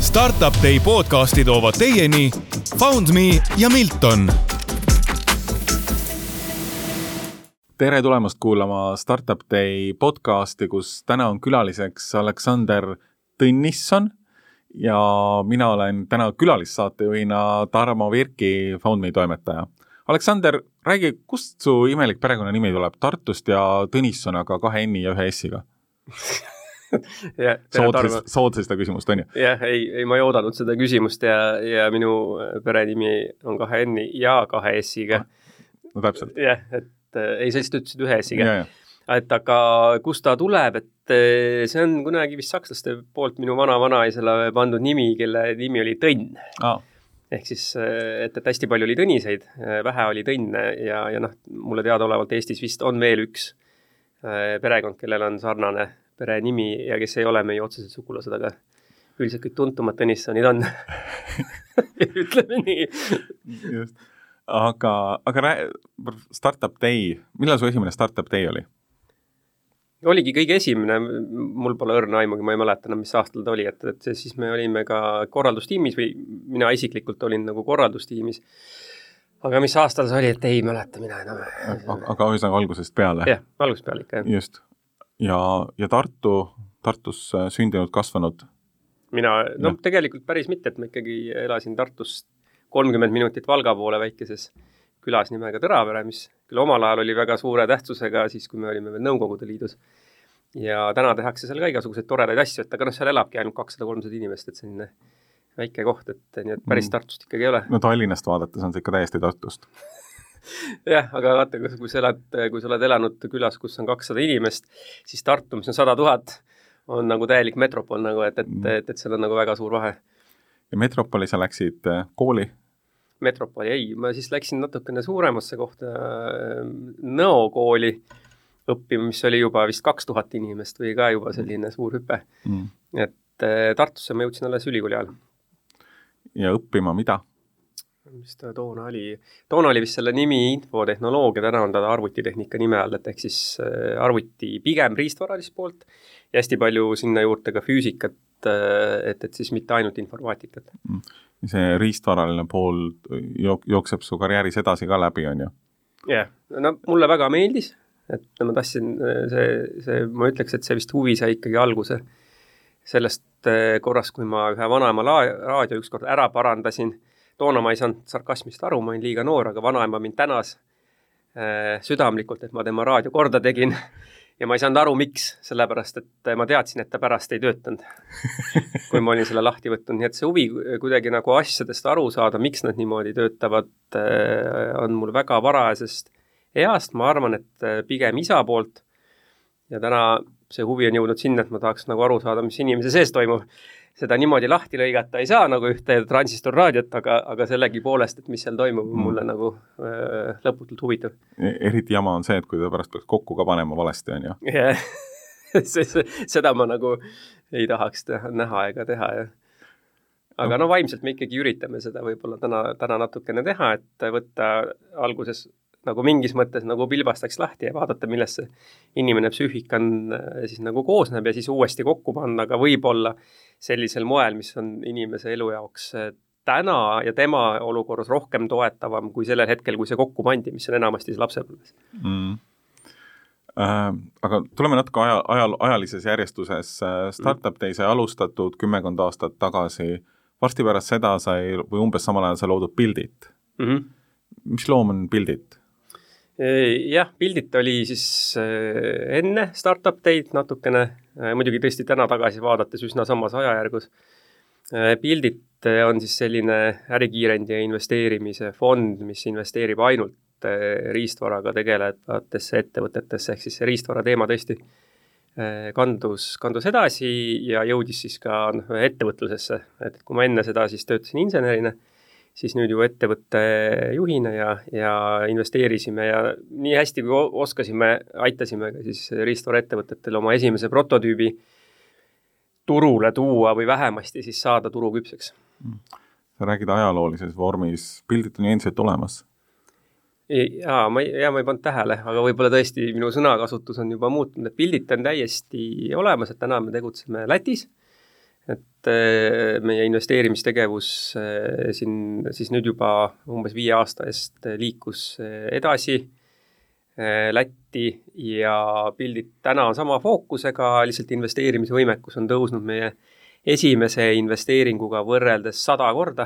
Startup Day podcasti toovad teieni FoundMe ja Milton. Tere tulemast kuulama Startup Day podcasti, kus täna on külaliseks Aleksander Tõnisson ja mina olen täna külalissaatejuhina Tarmo Virki, FoundMe toimetaja. Aleksander, räägi, kust su imelik perekonnanimi tuleb? Tartust ja Tõnisson, aga 2 N-i ja 1 S-iga. Soodsi seda küsimust, on ju? Jah, ei, ma ei oodanud seda küsimust ja minu perenimi on 2 N-i ja 2 S-iga. No täpselt. Jah, et ei, sa lihtsalt ütlesid 1 S-iga. Et aga kust ta tuleb, et see on kunagi vist sakslaste poolt minu vana-vanaisele pandud nimi, kelle nimi oli Tõnn. Ehk siis, et hästi palju oli Tõniseid, vähe oli Tõnne ja mulle teadaolevalt Eestis vist on veel üks perekond, kellel on sarnane perenimi ja kes ei ole meie otseselt sugulased, aga üldiselt kõik tuntumad Tõnissonid on. Ütleme nii. Just. Aga Startup Day, millal su esimene Startup Day oli? Oligi kõige esimene, mul pole õrna aimugi, ma ei mäleta, mis aastal ta oli, et siis me olime ka korraldustiimis või mina isiklikult olin nagu korraldustiimis. Aga mis aastal see oli, et ei mäleta mina enam. Aga ühesõnaga algusest peale? Jah, algusest peale ikka. Just. Ja Tartus sündinud, kasvanud? Mina, tegelikult päris mitte, et ma ikkagi elasin Tartust 30 minutit Valga poole väikeses külas nimega Tõravere, mis küll omal ajal oli väga suure tähtsusega siis, kui me olime veel Nõukogude Liidus. Ja täna tehakse seal ka igasuguseid toredaid asju, et aga seal elabki ainult 200-300 inimest, et selline väike koht, et nii et päris Tartust ikkagi ei ole. No Tallinnast vaadates on see ikka täiesti Tartust. Jah, aga vaata, kui sa oled elanud külas, kus on 200 inimest, siis Tartu, mis on 100 000, on nagu täielik metropol, nagu, et seal on nagu väga suur vahe. Ja metropoli sa läksid kooli? Metropoli ei, ma siis läksin natukene suuremasse kohta Nõo kooli õppima, mis oli juba vist 2000 inimest või ka juba selline suur hüpe. Et Tartusse ma jõudsin alles ülikooli ajal. Ja õppima mida? Mis ta toona oli? Toona oli vist selle nimi infotehnoloogia, täna on ta arvutitehnika nime all, et ehk siis arvuti pigem riistvaralist poolt ja hästi palju sinna juurde ka füüsikat, et siis mitte ainult informaatikat. See riistvaraline pool jookseb su karjääris edasi ka läbi, on ju? Jah, mulle väga meeldis, et ma tahtsin, ma ütleks, et see vist huvi sai ikkagi alguse sellest korrast, kui ma ühe vanaema raadio ükskord ära parandasin. Toona ma ei saanud sarkasmist aru, ma olin liiga noor, aga vanaema mind tänas südamlikult, et ma tema raadio korda tegin. Ja ma ei saanud aru, miks, sellepärast, et ma teadsin, et ta pärast ei töötanud, kui ma olin selle lahti võtnud. Nii et see huvi kuidagi nagu asjadest aru saada, miks nad niimoodi töötavad, on mul väga varajasest east. Ma arvan, et pigem isa poolt. Ja täna see huvi on jõudnud sinna, et ma tahaks nagu aru saada, mis inimese sees toimub. Seda niimoodi lahti lõigata ei saa nagu ühte transistorraadiot, aga sellegi poolest, et mis seal toimub, mulle nagu lõputult huvitav. Eriti jama on see, et kui ta pärast peaks kokku ka panema valesti, on ju? Yeah. Seda ma nagu ei tahaks näha ega teha. Ja. Aga vaimselt me ikkagi üritame seda võib-olla täna natukene teha, et võtta alguses nagu mingis mõttes nagu pilbastaks lahti ja vaadata, millest see inimene psüühik on siis nagu koosneb ja siis uuesti kokku panna, aga võib-olla sellisel moel, mis on inimese elu jaoks täna ja tema olukorras rohkem toetavam kui sellel hetkel, kui see kokku pandi, mis on enamasti see lapsepõlves. Aga tuleme natuke ajalises järjestuses. Startup Day sai alustatud 10 aastat tagasi. Varsti pärast seda sai, või umbes samal ajal sai loodud Buildit. Mis loom on Buildit? Jah, Buildit oli siis enne Startup Day'd natukene, muidugi tõesti täna tagasi vaadates üsna samas ajajärgus. Buildit on siis selline ärikiirendi ja investeerimise fond, mis investeerib ainult riistvaraga tegelevatesse ettevõtetesse, ehk siis see riistvara teema tõesti kandus edasi ja jõudis siis ka ettevõtlusesse. Et kui ma enne seda siis töötasin insenerina, siis nüüd ju ettevõtte juhina ja investeerisime ja nii hästi kui oskasime, aitasime ka siis riistvara ettevõtetele oma esimese prototüübi turule tuua või vähemasti siis saada turuküpseks. Sa räägid ajaloolises vormis, Buildit on ju endiselt olemas? Ma ei pannud tähele, aga võib-olla tõesti minu sõnakasutus on juba muutunud, et Buildit on täiesti olemas, et täna me tegutseme Lätis. et meie investeerimistegevus siin siis nüüd juba umbes 5 aasta eest liikus edasi Lätti ja pildid täna on sama fookusega, lihtsalt investeerimisvõimekus on tõusnud meie esimese investeeringuga võrreldes 100 korda.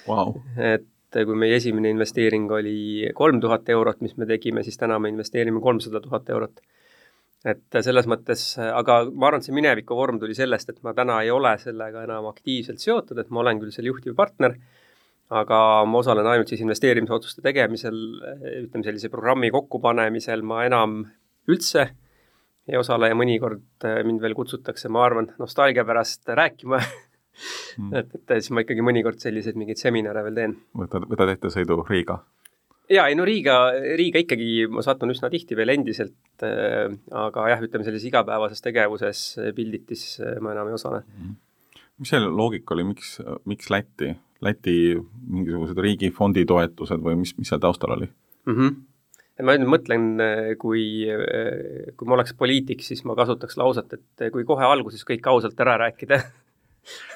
Wow. Et kui meie esimene investeering oli 3000 eurot, mis me tegime, siis täna me investeerime 300 000 eurot. Et selles mõttes, aga ma arvan, et see mineviku vorm tuli sellest, et ma täna ei ole sellega enam aktiivselt seotud, et ma olen küll seal juhtiv partner, aga ma osalen ainult siis investeerimisotsuste tegemisel, ütleme sellise programmi kokkupanemisel ma enam üldse ei osale ja mõnikord mind veel kutsutakse, ma arvan, nostalgia pärast rääkima et siis ma ikkagi mõnikord selliseid mingeid seminare veel teen. Võtad ette sõidu Riiga? Jaa, ei no Riiga ikkagi ma satun üsna tihti veel endiselt, aga jah, ütleme sellises igapäevases tegevuses pilditis ma enam ei osale. Mis see loogika oli, miks Läti? Läti mingisugused riigifondi toetused või mis seal taustal oli? Ma nüüd mõtlen, kui ma oleks poliitik, siis ma kasutaks lauset, et kui kohe alguses kõik ausalt ära rääkida.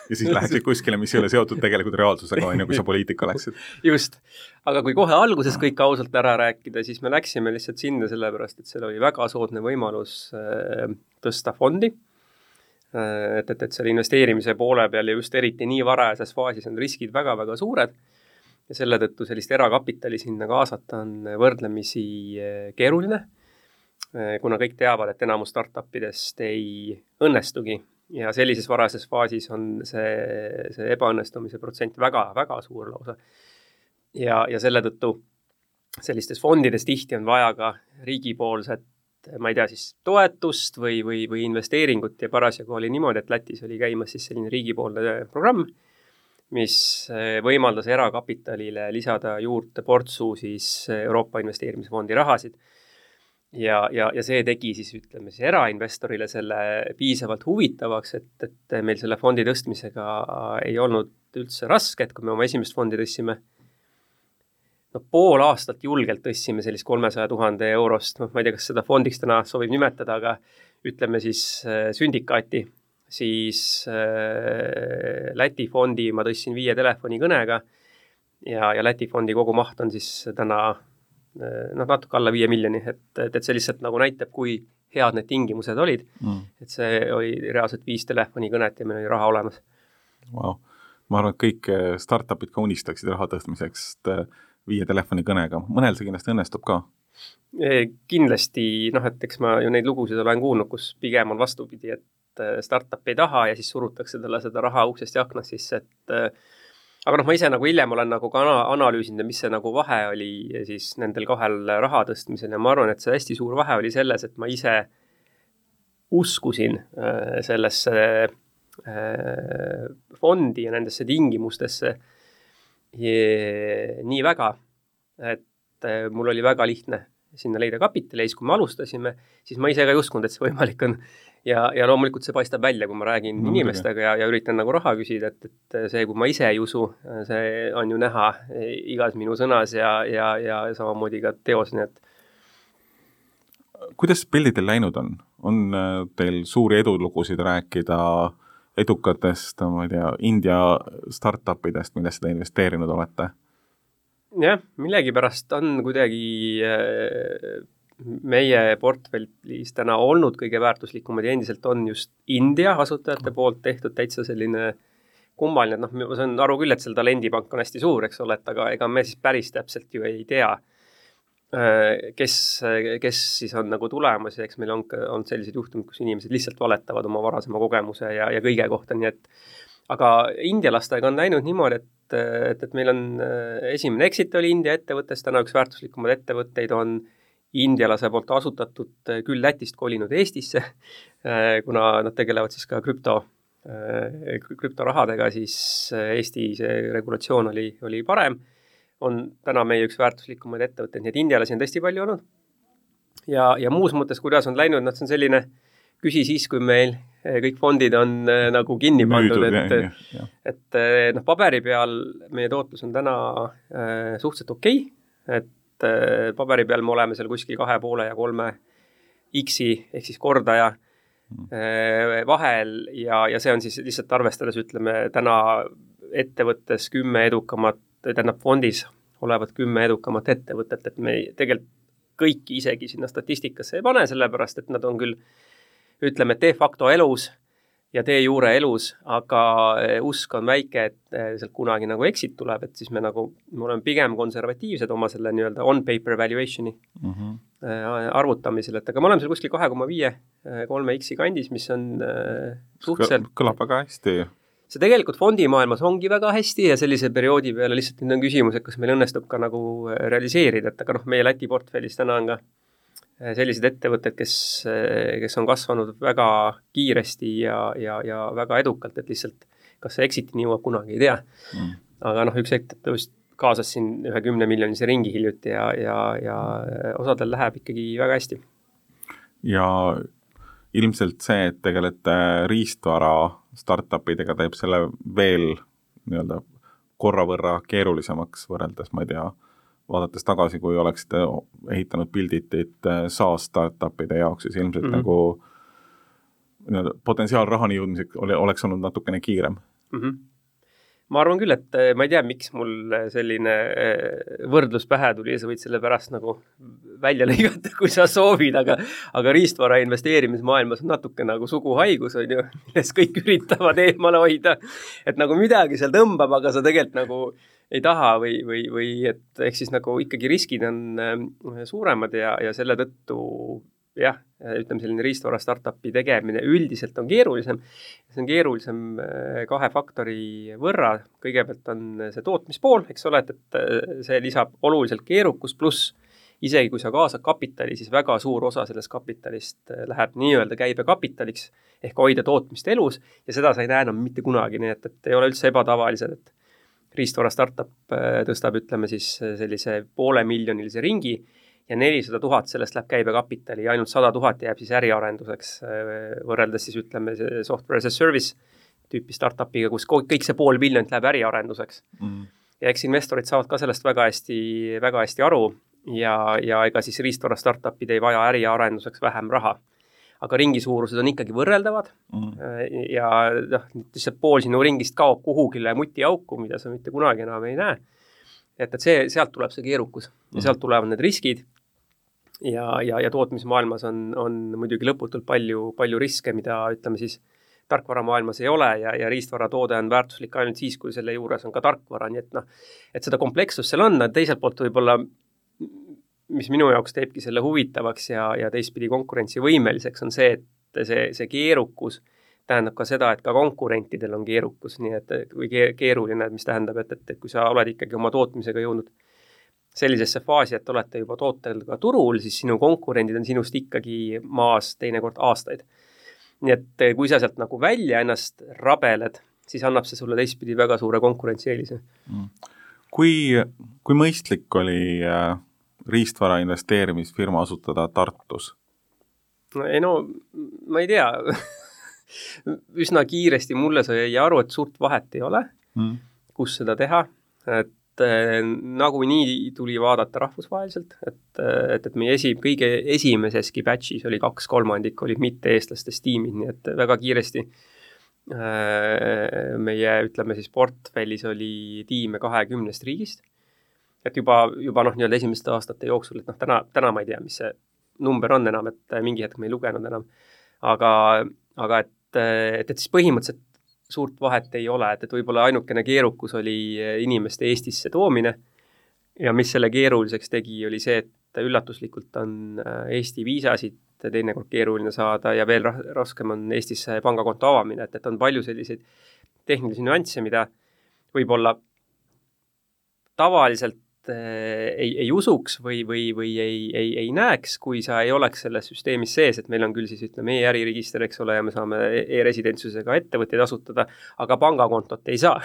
Ja siis läksid kuskile, mis ei ole seotud tegelikult reaalsusega, kui sa poliitika läksid. Just, aga kui kohe alguses kõik ausalt ära rääkida, siis me läksime lihtsalt sinna sellepärast, et seal oli väga soodne võimalus tõsta fondi, et selle investeerimise poole peal ja just eriti nii varajases faasis on riskid väga-väga suured ja selle tõttu sellist erakapitali sinna kaasata on võrdlemisi keeruline, kuna kõik teavad, et enamus startupidest ei õnnestugi. Ja sellises varases faasis on see ebaõnnestumise protsent väga-väga suur lausa. Ja selle tõttu sellistes fondides tihti on vaja ka riigipoolset, ma ei tea, siis toetust või investeeringut ja parasjagu oli niimoodi, et Lätis oli käimas siis selline riigipoolne programm, mis võimaldas erakapitalile lisada juurde portsu siis Euroopa investeerimisfondi rahasid. Ja see tegi siis, ütleme, erainvestorile selle piisavalt huvitavaks, et meil selle fondi tõstmisega ei olnud üldse raske, et kui me oma esimest fondi tõstsime, pool aastat julgelt tõstsime sellist 300 000 eurost, ma ei tea, kas seda fondiks täna sobib nimetada, aga ütleme siis sündikaati, siis Läti fondi ma tõstsin 5 telefonikõnega ja Läti fondi kogu maht on siis täna natuke alla 5 miljoni, et see lihtsalt nagu näitab, kui head need tingimused olid. Et see oli reaalselt 5 telefonikõnet ja meil oli raha olemas. Wow. Ma arvan, et kõik startupid ka unistaksid raha tõstmiseks 5 telefonikõnega. Mõnel see kindlasti õnnestub ka? Kindlasti, et eks ma ju neid lugusid olen kuulnud, kus pigem on vastupidi, et startup ei taha ja siis surutakse talle seda raha uksest ja aknast sisse, aga ma ise nagu hiljem olen nagu ka analüüsinud, mis see nagu vahe oli siis nendel 2 raha tõstmisel ja ma arvan, et see hästi suur vahe oli selles, et ma ise uskusin sellesse fondi ja nendesse tingimustesse nii väga, et mul oli väga lihtne sinna leida kapitali ja siis, kui me alustasime, siis ma ise ka ei uskunud, et see võimalik on. Ja loomulikult see paistab välja, kui ma räägin inimestega ja üritan nagu raha küsida, et see, kui ma ise ei usu, see on ju näha igas minu sõnas ja samamoodi ka teos, nii et. Kuidas pildidel läinud on? On teil suuri edulugusid rääkida edukatest, ma ei tea, India startupidest, millest te investeerinud olete? Jah, millegipärast on kuidagi meie portfellis täna olnud kõige väärtuslikumad ja endiselt on just India asutajate poolt tehtud täitsa selline kummaline, et ma saan aru küll, et seal talendipank on hästi suur, eks ole, et aga ega me siis päris täpselt ju ei tea, kes siis on nagu tulemas ja eks meil on sellised juhtumid, kus inimesed lihtsalt valetavad oma varasema kogemuse ja kõige kohta, nii et aga indialastega on läinud niimoodi, et meil on esimene exit oli India ettevõttes, täna üks väärtuslikumad ettevõtteid on indialase poolt asutatud küll Lätist kolinud Eestisse, kuna nad tegelevad siis ka krüptorahadega, siis Eesti see regulatsioon oli parem, on täna meie üks väärtuslikumaid ettevõtteid, nii et indialasi on tõesti palju olnud. Ja muus mõttes, kuidas on läinud, see on selline küsi siis, kui meil kõik fondid on nagu kinni pandud, et paberi peal meie tootlus on täna suhteliselt okei, et paberi peal me oleme seal kuskil 2,5 ja 3 X-i ehk siis kordaja, vahel ja see on siis lihtsalt arvestades, ütleme, täna ettevõttes 10 edukamat, tähendab fondis olevat 10 edukamat ettevõtet, et me tegelikult kõiki isegi sinna statistikasse ei pane, sellepärast, et nad on küll, ütleme, de facto elus ja de jure elus, aga usk on väike, et sealt kunagi nagu exit tuleb, et siis me oleme pigem konservatiivsed oma selle nii-öelda on-paper valuationi arvutamisel, et aga me oleme seal kuskil 2,5-3x kandis, mis on suhteliselt... Kõlab väga hästi. See tegelikult fondimaailmas ongi väga hästi ja sellise perioodi peale lihtsalt nüüd on küsimus, et kas meil õnnestub ka nagu realiseerida, et aga meie Läti portfellis täna on ka sellised ettevõtted, kes on kasvanud väga kiiresti ja väga edukalt, et lihtsalt kas see exitini jõuab kunagi, ei tea. Aga üks ettevõtt kaasas siin 10 miljonise ringi hiljuti ja osadel läheb ikkagi väga hästi. Ja ilmselt see, et tegelete riistvara startupidega teeb selle veel nii-öelda korra võrra keerulisemaks võrreldes, ma ei tea, vaadates tagasi, kui oleksite ehitanud pilditit SaaS startupide jaoks, siis ilmselt nagu potentsiaal rahani jõudmiseks oleks olnud natukene kiirem. Ma arvan küll, et ma ei tea, miks mul selline võrdlus pähe tuli ja sa võid selle pärast nagu välja lõigata, kui sa soovid, aga riistvara investeerimismaailmas on natuke nagu suguhaigus, on ju, milles kõik üritavad eemale hoida, et nagu midagi seal tõmbab, aga sa tegelikult nagu ei taha või et ehk siis nagu ikkagi riskid on suuremad ja selle tõttu jah, ütleme selline riistvara startupi tegemine üldiselt on keerulisem. See on keerulisem 2 faktori võrra. Kõigepealt on see tootmispool, eks ole, et see lisab oluliselt keerukus, pluss isegi kui sa kaasad kapitali, siis väga suur osa sellest kapitalist läheb nii-öelda käibekapitaliks ehk hoida tootmist elus ja seda sa ei näe enam mitte kunagi, nii et ei ole üldse ebatavalised, et riistvara startup tõstab, ütleme siis sellise 500 000 ringi ja 400 000 sellest läheb käibekapitali ja ainult 100 000 jääb siis äriarenduseks võrreldes siis ütleme software as a service tüüpi startupiga, kus kõik see 500 000 läheb äriarenduseks. Ja eks investorid saavad ka sellest väga hästi aru ja ega siis riistvara startupid ei vaja äriarenduseks vähem raha. Aga ringi suurused on ikkagi võrreldavad ja lihtsalt pool sinu ringist kaob kuhugile mutiauku, mida sa mitte kunagi enam ei näe. Et sealt tuleb see keerukus ja sealt tulevad need riskid ja tootmismaailmas on muidugi lõputult palju riske, mida ütleme siis tarkvaramaailmas ei ole ja riistvara toode on väärtuslik ainult siis, kui selle juures on ka tarkvara, nii et seda komplekssust seal on, teiselt poolt võib-olla mis minu jaoks teebki selle huvitavaks ja teistpidi konkurentsivõimeliseks on see, et see keerukus tähendab ka seda, et ka konkurentidel on keerukus, nii et või keeruline, mis tähendab, et kui sa oled ikkagi oma tootmisega jõudnud sellisesse faasi, et olete juba tootel ka turul, siis sinu konkurendid on sinust ikkagi maas teinekord aastaid. Nii et kui sa sealt nagu välja ennast rabeled, siis annab see sulle teistpidi väga suure konkurentsieelise. Kui mõistlik oli riistvara investeerimisfirma asutada Tartus? No, ma ei tea. Üsna kiiresti mulle sai aru, et suurt vahet ei ole, kus seda teha. Et nagu nii tuli vaadata rahvusvaheliselt, et meie kõige esimeseski batchis oli 2/3 olid mitte-eestlastest tiimid, nii et väga kiiresti meie, ütleme siis portfellis oli tiime 20 riigist. Et juba nii-öelda esimeste aastate jooksul, et täna ma ei tea, mis see number on enam, et mingi hetk me ei lugenud enam. Aga et siis põhimõtteliselt suurt vahet ei ole, et võib-olla ainukene keerukus oli inimeste Eestisse toomine ja mis selle keeruliseks tegi, oli see, et üllatuslikult on Eesti viisasid teinekord keeruline saada ja veel raskem on Eestisse pangakonto avamine, et on palju selliseid tehnilisi nüansse, mida võib-olla tavaliselt ei usuks või ei näeks, kui sa ei oleks selles süsteemis sees, et meil on küll siis ütleme e-äriregister, eks ole, ja me saame e-residentsusega ettevõtteid asutada, aga pangakontot ei saa.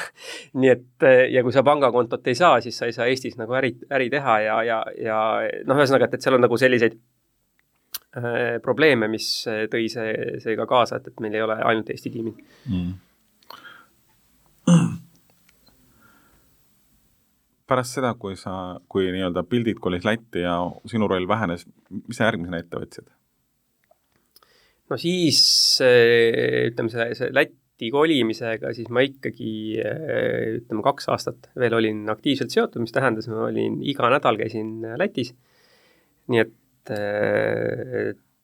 Nii et, ja kui sa pangakontot ei saa, siis sa ei saa Eestis nagu äri teha ja ühesõnaga, et seal on nagu selliseid probleeme, mis tõi see ka kaasa, et meil ei ole ainult Eesti tiimid. Pärast seda, kui nii-öelda pildid kolis Lätti ja sinu roll vähenes, mis sa järgmisena ette võtsid? no siis ütleme see Lätti kolimisega, siis ma ikkagi ütleme 2 aastat veel olin aktiivselt seotud, mis tähendas, ma olin iga nädal käisin Lätis. Nii et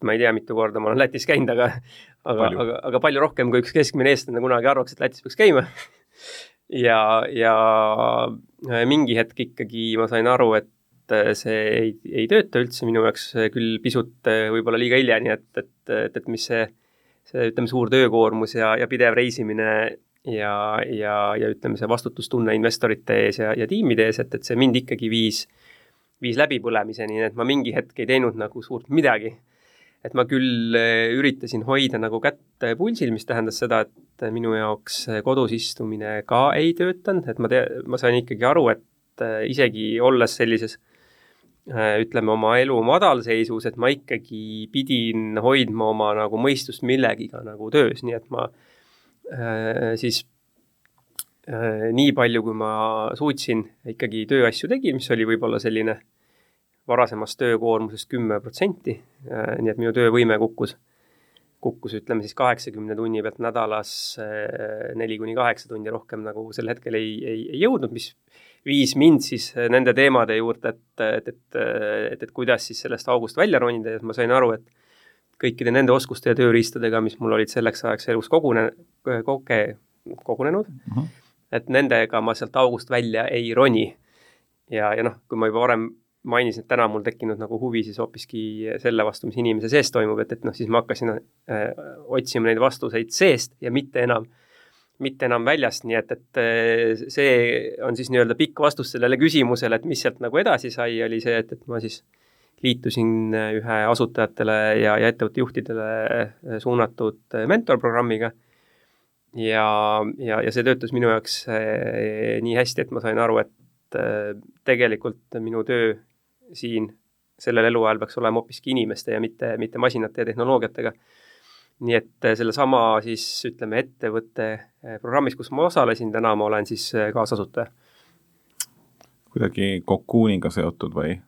ma ei tea, mitu korda ma olen Lätis käinud, aga palju rohkem kui üks keskmine eestlane kunagi arvaks, et Lätis peaks käima. ja mingi hetk ikkagi ma sain aru, et see ei tööta üldse minu jaoks küll pisut võib-olla liiga hilja, nii et mis see ütleme suur töökoormus ja pidev reisimine ja ütleme see vastutustunne investorite ees ja tiimide ees, et see mind ikkagi viis läbipõlemiseni, et ma mingi hetk ei teinud nagu suurt midagi. Et ma küll üritasin hoida nagu kätt pulsil, mis tähendas seda, et minu jaoks kodus istumine ka ei töötanud, et ma sain ikkagi aru, et isegi olles sellises ütleme oma elu madalseisus, et ma ikkagi pidin hoidma oma nagu mõistust millegiga nagu töös, nii et ma siis nii palju, kui ma suutsin ikkagi tööasju tegin, mis oli võib-olla selline varasemast töökoormusest 10%, nii et minu töövõime kukkus ütleme siis 80 tunni pealt nädalas 4-8 tundi rohkem nagu sel hetkel ei jõudnud, mis viis mind siis nende teemade juurde, et kuidas siis sellest august välja ronida ja ma sain aru, et kõikide nende oskuste ja tööriistadega, mis mul olid selleks ajaks elus kogunenud, et nendega ma sealt august välja ei roni. Ja kui ma juba varem mainisin, et täna mul tekkinud nagu huvi siis hoopiski selle vastu, mis inimese sees toimub, et siis ma hakkasin otsima neid vastuseid seest ja mitte enam väljast, nii et see on siis nii-öelda pikk vastus sellele küsimusele, et mis sealt nagu edasi sai, oli see, et ma siis liitusin ühe asutajatele ja ettevõtte juhtidele suunatud mentorprogrammiga ja see töötas minu jaoks nii hästi, et ma sain aru, et tegelikult minu töö siin sellel eluajal peaks olema hoopiski inimeste ja mitte masinate ja tehnoloogiatega. Nii et sellesama siis ütleme ettevõtte programmis, kus ma osalesin, täna ma olen siis kaasasutaja. Kuidagi Cocooniga seotud või?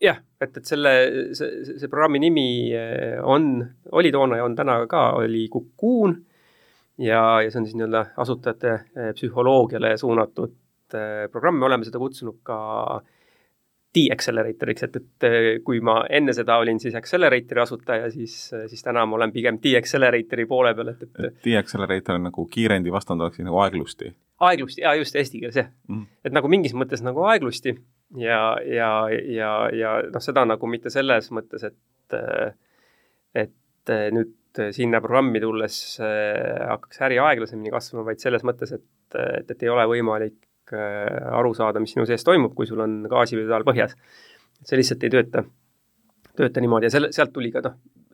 Jah, et see programmi nimi oli toona ja on täna ka, oli Cocoon ja see on siis nii-öelda asutajate psühholoogiale suunatud programm, me oleme seda kutsunud ka D-Acceleratoriks, et kui ma enne seda olin siis Acceleratori asutaja, siis täna ma olen pigem D-Acceleratori poole peal. D-Accelerator on nagu kiirendi vastand oleks nagu aeglusti? Aeglusti, just eesti keeles, jah. Et nagu mingis mõttes nagu aeglusti ja seda nagu mitte selles mõttes, et nüüd sinna programmi tulles hakkaks äri aeglasemini kasvama, vaid selles mõttes, et ei ole võimalik aru saada, mis sinu sees toimub, kui sul on gaasipedaal põhjas. See lihtsalt ei tööta niimoodi ja sealt tuli ka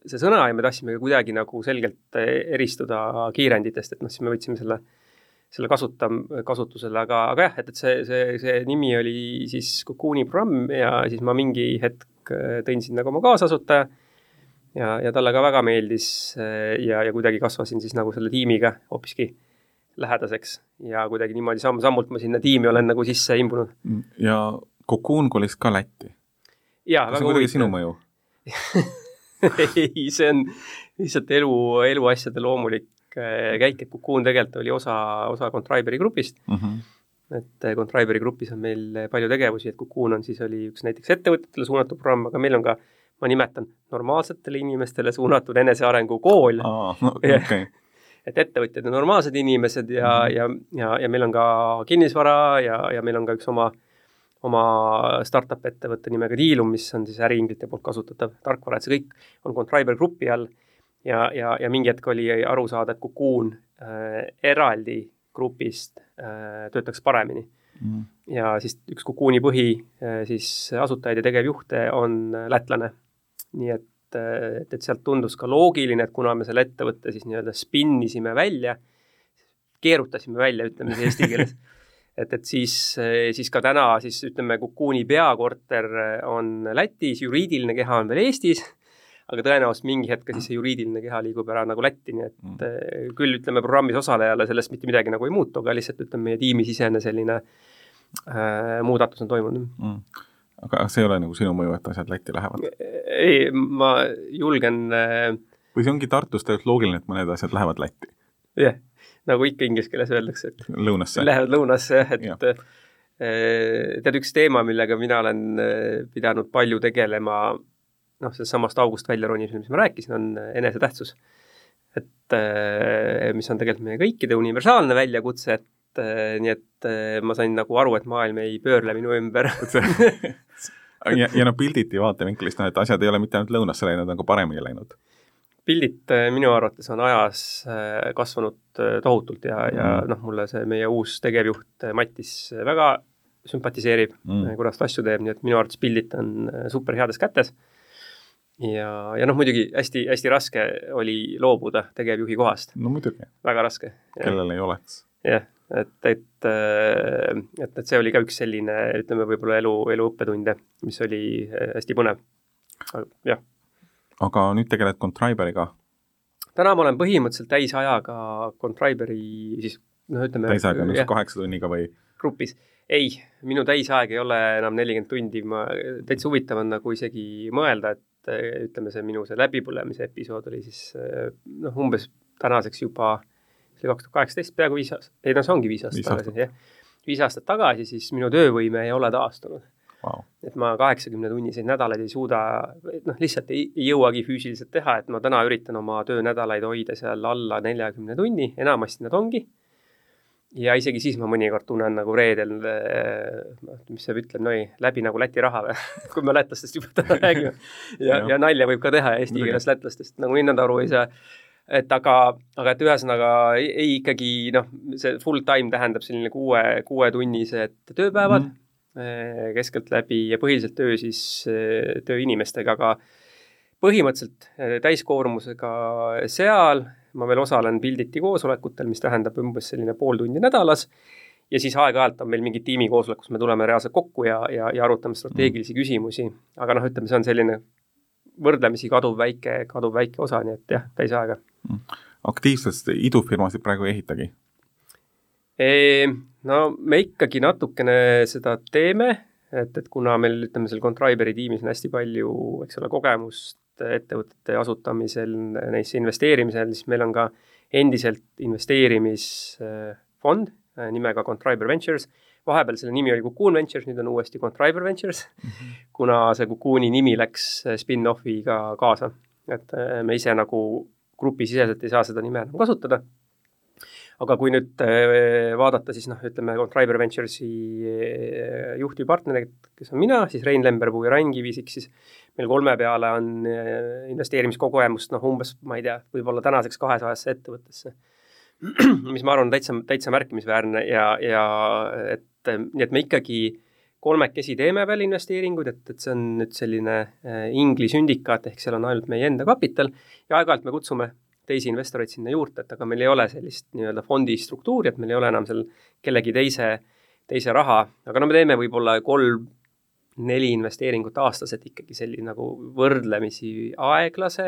see sõna ja me tahtsime kuidagi nagu selgelt eristuda kiirenditest, et siis me võtsime selle kasutusele, aga jah, et see nimi oli siis Cocooni programm ja siis ma mingi hetk tõin sinna ka oma kaasasutaja ja talle ka väga meeldis ja kuidagi kasvasin siis nagu selle tiimiga hoopiski lähedaseks ja kuidagi niimoodi sammult ma sinna tiimi olen nagu sisse imbunud. Ja Cocoon kolis ka Lätti? Jaa, väga huvitav. Sinu mõju? Ei, see on lihtsalt eluasjade loomulik käik, et Cocoon tegelikult oli osa Contriberi grupist. Et Contriberi grupis on meil palju tegevusi, et Cocoon oli üks näiteks ettevõtetele suunatud programm, aga meil on ka, ma nimetan, normaalsetele inimestele suunatud enesearengu kool. Okay. Et ettevõtjad on normaalsed inimesed ja meil on ka kinnisvara ja meil on ka üks oma startup ettevõtte nimega Dealum, mis on siis äriinglite poolt kasutatav tarkvara, et see kõik on Contriber grupi all ja mingi hetk oli aru saada, et Cocoon eraldi grupist töötaks paremini. Ja siis üks Cocooni põhi siis asutajaid ja tegevjuhte on lätlane. Nii et sealt tundus ka loogiline, et kuna me selle ettevõtte siis nii-öelda spinnisime välja, keerutasime välja, ütleme see eesti keeles, et siis ka täna siis ütleme Cocooni peakorter on Lätis, juriidiline keha on veel Eestis, aga tõenäoliselt mingi hetk siis see juriidiline keha liigub ära nagu Lätti, nii et küll ütleme programmis osalejale sellest mitte midagi nagu ei muutu, aga lihtsalt ütleme meie tiimisisene selline muudatus on toimunud. Aga see ei ole nagu sinu mõju, et asjad Lätti lähevad? Ei, ma julgen Või see ongi Tartus tegelikult loogiline, et mõned asjad lähevad Lätti? Jah, nagu ikka inglise keeles öeldakse, et lõunasse. Lähevad lõunasse, tead üks teema, millega mina olen pidanud palju tegelema, sellest samast august välja ronimisel, mis ma rääkisin, on enesetähtsus. Et mis on tegelikult meie kõikide universaalne väljakutse, et nii et ma sain nagu aru, et maailm ei pöörle minu ümber. ja pilditi vaatevinklist, et asjad ei ole mitte ainult lõunasse läinud, nagu paremini läinud. Pildid minu arvates on ajas kasvanud tohutult ja mulle see meie uus tegevjuht Mattis väga sümpatiseerib, kuidas ta asju teeb, nii et minu arvates pildid on super heades kätes. Ja muidugi hästi, hästi raske oli loobuda tegevjuhi kohast. No muidugi. Väga raske. Kellel ei oleks. Jah, et see oli ka üks selline, ütleme võib-olla elu õppetunde, mis oli hästi põnev. Jah. Aga nüüd tegeled Contriberiga? Täna ma olen põhimõtteliselt täisajaga Contriberi, siis ütleme... Täisajaga on 8 tunniga või? Grupis. Ei, minu täisaeg ei ole enam 40 tundi, täitsa huvitav on nagu isegi mõelda, et ütleme see minu see läbipõlemise episood oli siis umbes tänaseks juba 2018, peaaegu 5 aastat, ei see ongi 5 aastat tagasi, jah. 5 aastat tagasi, siis minu töövõime ei ole taastunud. Wow. Et ma 80 tunniseid nädalaid ei suuda, lihtsalt ei jõuagi füüsiliselt teha, et ma täna üritan oma töönädalaid hoida seal alla 40 tunni, enamasti nad ongi. Ja isegi siis ma mõnikord tunnen nagu reedel, mis see ütleb, läbi nagu Läti raha või, kui me lätlastest juba täna räägime. Ja nalja võib ka teha eesti keeles lätlastest, nagu hinnad aru ei saa. Et aga et ühesõnaga ei ikkagi, see full time tähendab selline 6 tunnised tööpäevad, keskelt läbi ja põhiliselt tööinimestega, aga põhimõtteliselt täiskoormusega seal ma veel osalen pilditi koosolekutel, mis tähendab umbes selline pool tundi nädalas ja siis aeg-ajalt on meil mingi tiimikoosolek, kus me tuleme reaalselt kokku ja arutame strateegilisi küsimusi, aga ütleme, see on selline võrdlemisi kaduv väike osa, nii et jah, täisaega. Aktiivsest idufirmasid praegu ei ehitagi? Me ikkagi natukene seda teeme, et kuna meil, ütleme, seal Contriberi tiimis on hästi palju, eks ole, kogemust ettevõtete asutamisel, neisse investeerimisel, siis meil on ka endiselt investeerimisfond nimega Contriber Ventures. Vahepeal selle nimi oli Cocoon Ventures, nüüd on uuesti Contriber Ventures, kuna see Cocooni nimi läks spin-offiga kaasa. Et me ise nagu grupisiseselt ei saa seda nime enam kasutada. Aga kui nüüd vaadata, siis ütleme Contriber Venturesi juhtivpartnerid, kes on mina, siis Rein Lemberpuu ja Rain Kivisik, siis meil 3 peale on investeerimiskogemust umbes, ma ei tea, võib-olla tänaseks 200 ettevõttesse, mis ma arvan täitsa märkimisväärne ja nii et me ikkagi 3 teeme veel investeeringuid, et see on nüüd selline ingli sündikaat, ehk seal on ainult meie enda kapital ja aeg-ajalt me kutsume teisi investoreid sinna juurde, et aga meil ei ole sellist nii-öelda fondi struktuuri, et meil ei ole enam seal kellegi teise raha, aga me teeme võib-olla 3-4 investeeringut aastas, et ikkagi selline nagu võrdlemisi aeglase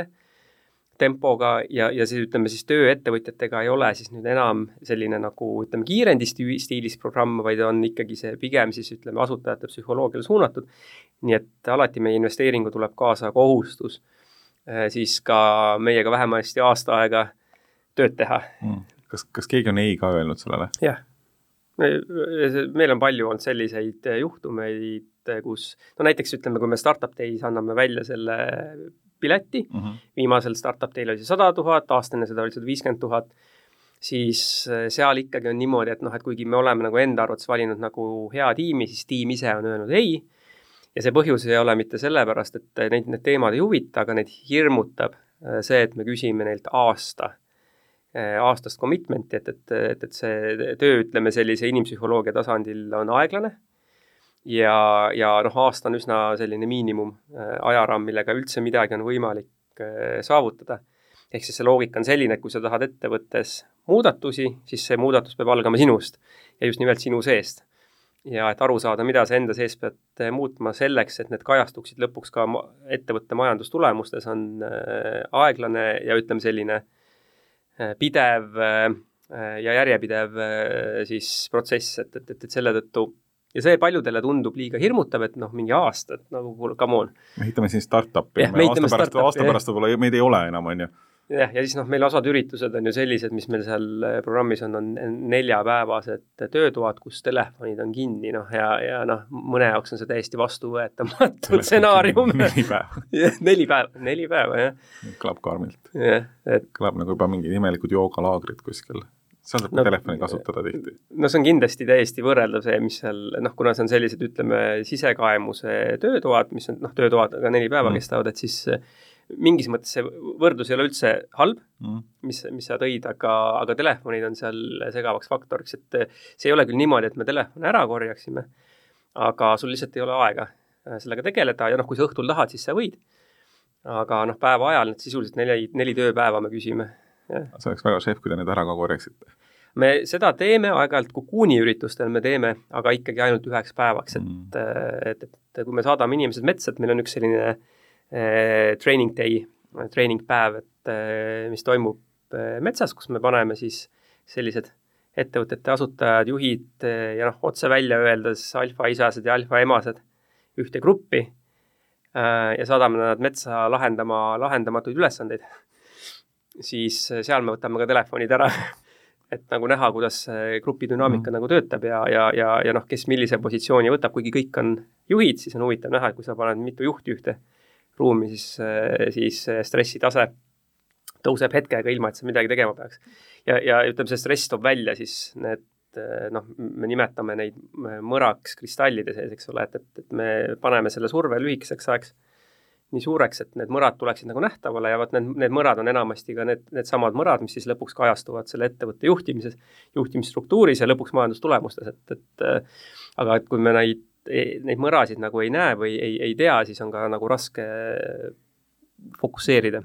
tempoga ja siis ütleme siis tööettevõtjatega ei ole siis nüüd enam selline nagu ütleme kiirendistiilis programm, vaid on ikkagi see pigem siis ütleme asutajate psühholoogiale suunatud, nii et alati meie investeeringu tuleb kaasa kohustus siis ka meiega vähemasti aasta aega tööd teha. Kas keegi on ei ka öelnud sellele? Jah. Meil on palju olnud selliseid juhtumeid, kus näiteks ütleme, kui me Startup Days anname välja selle pileti, viimasel Startup Day'l oli see 100 000, aastane seda oli 150 000, siis seal ikkagi on niimoodi, et kuigi me oleme nagu enda arvates valinud nagu hea tiimi, siis tiim ise on öelnud ei. Ja see põhjus ei ole mitte sellepärast, et need teemad ei huvita, aga neid hirmutab see, et me küsime neilt aastast commitmenti, et see töö, ütleme, sellise inimpsühholoogia tasandil on aeglane ja aasta on üsna selline miinimum ajaraam, millega üldse midagi on võimalik saavutada. Ehk siis see loogika on selline, et kui sa tahad ettevõttes muudatusi, siis see muudatus peab algama sinust ja just nimelt sinu seest. Ja et aru saada, mida sa enda sees pead muutma selleks, et need kajastuksid lõpuks ka ettevõtte majandustulemustes on aeglane ja ütleme selline pidev ja järjepidev siis protsess, et selle tõttu ja see paljudele tundub liiga hirmutav, et mingi aasta, et nagu come on. Me ehitame siin startupi, aasta pärast võib-olla meid ei ole enam, on ju. ja siis meil osad üritused on ju sellised, mis meil seal programmis on 4-päevased töötoad, kus telefonid on kinni, ja mõne jaoks on see täiesti vastuvõetamatu stsenaarium. 4 päeva. 4 päeva, jah. Kõlab karmilt. Et... Kõlab nagu juba mingid imelikud joogalaagrid kuskil. Seal saab telefoni kasutada tihti. See on kindlasti täiesti võrreldav see, mis seal, kuna see on sellised, ütleme, sisekaemuse töötoad, mis on, töötoad aga 4 päeva kestavad, et siis mingis mõttes see võrdlus ei ole üldse halb, mis sa tõid, aga telefonid on seal segavaks faktoriks, et see ei ole küll niimoodi, et me telefoni ära korjaksime, aga sul lihtsalt ei ole aega sellega tegeleda ja kui sa õhtul tahad, siis sa võid. Aga päeva ajal need sisuliselt 4 tööpäeva me küsime. See oleks väga šef, kui te need ära ka korjaksite. Me seda teeme aeg-ajalt Kukuuni üritustel me teeme, aga ikkagi ainult 1 päevaks, et kui me saadame inimesed metsa, et meil on üks selline training day, training päev, mis toimub metsas, kus me paneme siis sellised ettevõtete asutajad, juhid ja otse välja öeldes alfa-isased ja alfa-emased ühte gruppi ja saadame nad metsa lahendamatuid ülesandeid. Siis seal me võtame ka telefonid ära, et nagu näha, kuidas grupi dünaamika nagu töötab ja kes millise positsiooni võtab, kuigi kõik on juhid, siis on huvitav näha, et kui sa paned mitu juhti ühte ruumi, siis stressitase tõuseb hetkega ilma, et sa midagi tegema peaks. Ja ütleme, see stress toob välja siis need, me nimetame neid mõraks kristallide sees, eks ole, et me paneme selle surve lühikeseks ajaks nii suureks, et need mõrad tuleksid nagu nähtavale ja need mõrad on enamasti ka need samad mõrad, mis siis lõpuks kajastuvad selle ettevõtte juhtimisstruktuuris ja lõpuks majandustulemustes, aga et kui me neid mõrasid nagu ei näe või ei tea, siis on ka nagu raske fokusseerida.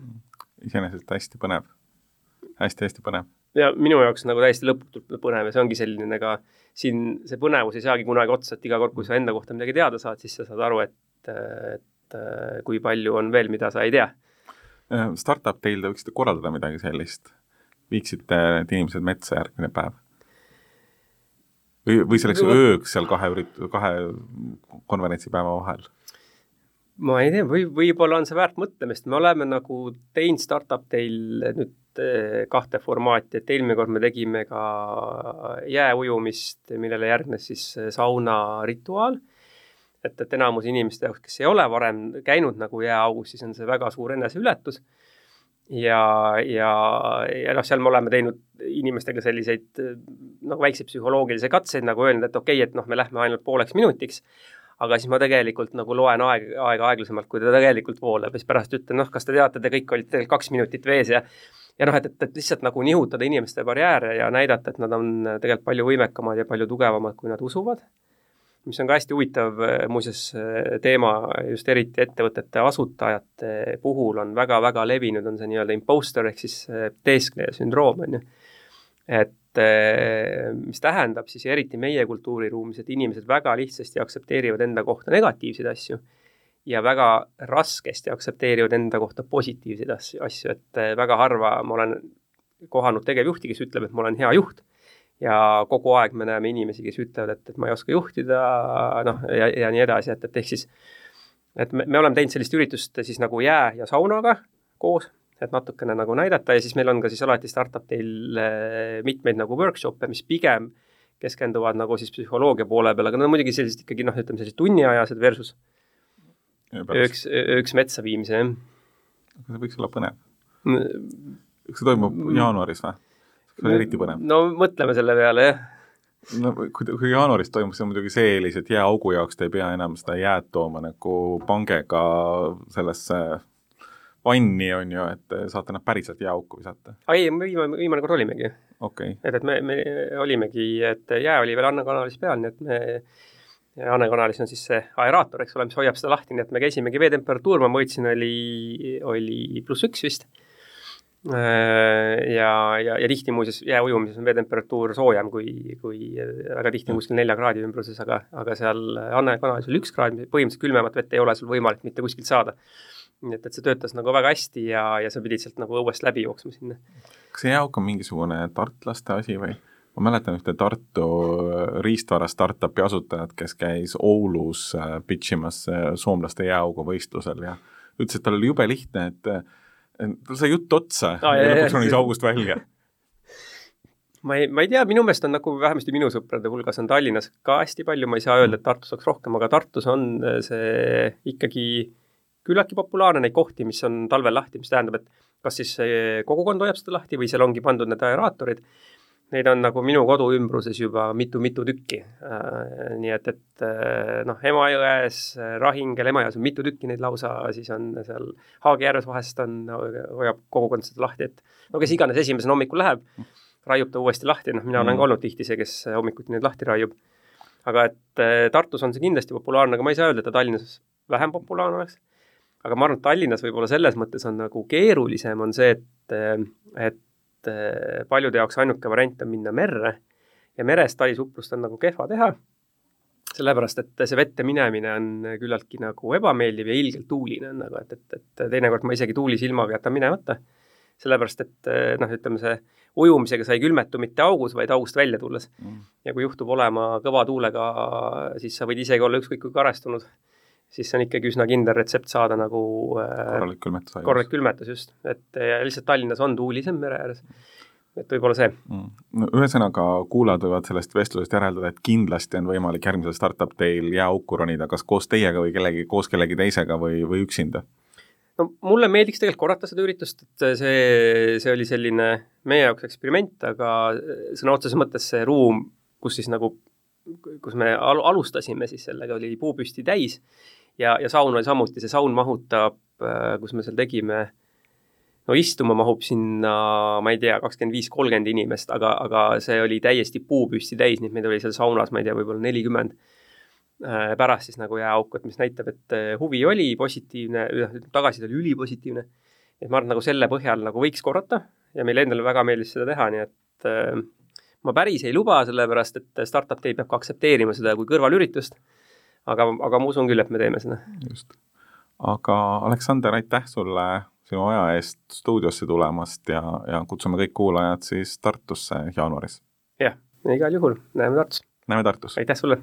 Iseenesest hästi põnev. Hästi põnev. Ja minu jaoks nagu täiesti lõputult põnev ja see ongi selline ka siin see põnevus ei saagi kunagi otsa, et iga kord, kui sa enda kohta midagi teada saad, siis sa saad aru, et kui palju on veel, mida sa ei tea. Startup teil te võiksite korraldada midagi sellist? Viiksite need inimesed metsa järgmine päev? Või selleks ööks seal 2 konverentsipäeva vahel? Ma ei tea, võib-olla on see väärt mõtlemist. Me oleme nagu teinud startup teil nüüd 2 formaati, et eelmine kord me tegime ka jääujumist, millele järgnes siis sauna rituaal. Et enamus inimeste jaoks, kes ei ole varem käinud nagu jääaugus, siis on see väga suur eneseületus. Ja seal me oleme teinud inimestega selliseid väikseid psühholoogilisi katseid, nagu öelnud, et okei, et me lähme ainult 0,5 minutiks, aga siis ma tegelikult nagu loen aega aeglasemalt, kui ta tegelikult voolab, ja siis pärast ütlen, kas te teate, te kõik olite 2 minutit vees ja et lihtsalt nagu nihutada inimeste barjääre ja näidata, et nad on tegelikult palju võimekamad ja palju tugevamad, kui nad usuvad. Mis on ka hästi huvitav muuseas teema, just eriti ettevõtete asutajate puhul on väga-väga levinud, on see nii-öelda imposter ehk siis teeskleja sündroom. Et mis tähendab siis eriti meie kultuuriruumis, et inimesed väga lihtsasti aktsepteerivad enda kohta negatiivseid asju ja väga raskesti aktsepteerivad enda kohta positiivseid asju, et väga harva ma olen kohanud tegevjuhti, kes ütleb, et ma olen hea juht. Ja kogu aeg me näeme inimesi, kes ütlevad, et ma ei oska juhtida, ja nii edasi, et ehk siis, et me oleme teinud sellist üritust siis nagu jää ja saunaga koos, et natukene nagu näidata ja siis meil on ka siis alati startup teil mitmeid nagu workshop'e, mis pigem keskenduvad nagu siis psühholoogia poole peal, aga muidugi sellised ikkagi, ütleme sellised tunniajased versus ööks metsa viimise. Aga see võiks olla põnev. Kas see toimub jaanuaris või? See on eriti põnev. No mõtleme selle peale, jah. No, kui jaanuaris toimub, see on muidugi see eelis, et jääaugu jaoks te ei pea enam seda jääd tooma nagu pangega sellesse vanni on ju, et saate nad päriselt jääauku visata. Ei, viimane kord olimegi. Okay. Et me olimegi, et jää oli veel Anne kanalis peal, nii et Anne kanalis on siis see aeraator, eks ole, mis hoiab seda lahti, nii et me käisimegi veetemperatuur, ma mõõtsin, oli +1 vist. Ja tihti muuseas jääujumises on veetemperatuur soojem kui väga tihti kuskil 4 kraadi ümbruses, aga seal Anne kanalis oli 1 kraad, põhimõtteliselt külmemat vett ei ole sul võimalik mitte kuskilt saada. Nii et see töötas nagu väga hästi ja sa pidid sealt nagu õuest läbi jooksma sinna. Kas see jääauk on mingisugune tartlaste asi või? Ma mäletan ühte Tartu riistvara startupi asutajad, kes käis Oulus pitchimas soomlaste jääaugu võistlusel ja ütles, et tal oli jube lihtne, tal sai jutt otsa ja lõpuks ronis august välja. Ma ei tea, minu meelest on nagu vähemasti minu sõprade hulgas on Tallinnas ka hästi palju, ma ei saa öelda, et Tartus oleks rohkem, aga Tartus on see ikkagi küllaltki populaarne neid kohti, mis on talvel lahti, mis tähendab, et kas siis kogukond hoiab seda lahti või seal ongi pandud need aeraatorid. Neid on nagu minu kodu ümbruses juba mitu tükki. Nii et Emajões, Rahingel, Emajões on mitu tükki neid lausa, siis on seal Haagijärves vahest hoiab kogukond seda lahti, et no kes iganes esimesena hommikul läheb, raiub ta uuesti lahti, mina olen ka olnud tihti see, kes hommikuti neid lahti raiub. Aga et Tartus on see kindlasti populaarne, aga ma ei saa öelda, et Tallinnas vähem populaarne oleks. Aga ma arvan, et Tallinnas võib-olla selles mõttes on nagu keerulisem on see, et paljude jaoks ainuke variant on minna merre ja merest talisuplust on nagu kehva teha, sellepärast, et see vette minemine on küllaltki nagu ebameeldiv ja ilgelt tuuline on nagu, et teinekord ma isegi tuulisilmaga jätan minemata, sellepärast, et ütleme see ujumisega sai külmetu mitte augus, vaid august välja tulles. Ja kui juhtub olema kõva tuulega, siis sa võid isegi olla ükskõik kui karestunud, siis on ikkagi üsna kindel retsept saada nagu korralik külmetus just. Et lihtsalt Tallinnas on tuulisem mere ääres. Et võib-olla see. No, ühesõnaga kuulajad võivad sellest vestlusest järeldada, et kindlasti on võimalik järgmisel startup teil jääauku ronida, kas koos teiega või koos kellegi teisega või üksinda? No mulle meeldiks tegelikult korrata seda üritust, et see oli selline meie jaoks eksperiment, aga sõna otseses mõttes see ruum, kus me alustasime, siis sellega oli puupüsti täis ja saun oli samuti, see saun mahutab, kus me seal tegime, istuma mahub sinna, ma ei tea, 25-30 inimest, aga see oli täiesti puupüsti täis, nii et meid oli seal saunas, ma ei tea, võib-olla 40 pärast siis nagu jääauk, mis näitab, et huvi oli positiivne, tagasi oli ülipositiivne. Et ma arvan, nagu selle põhjal nagu võiks korrata ja meil endale väga meeldis seda teha, nii et ma päris ei luba, sellepärast, et startup teil peab ka aksepteerima seda kui kõrvalüritust, aga ma usun küll, et me teeme seda. Just. Aga Aleksander, aitäh sulle sinu aja eest stuudiosse tulemast ja kutsume kõik kuulajad siis Tartusse jaanuaris. Jah, igal juhul. Näeme Tartus. Näeme Tartus. Aitäh sulle.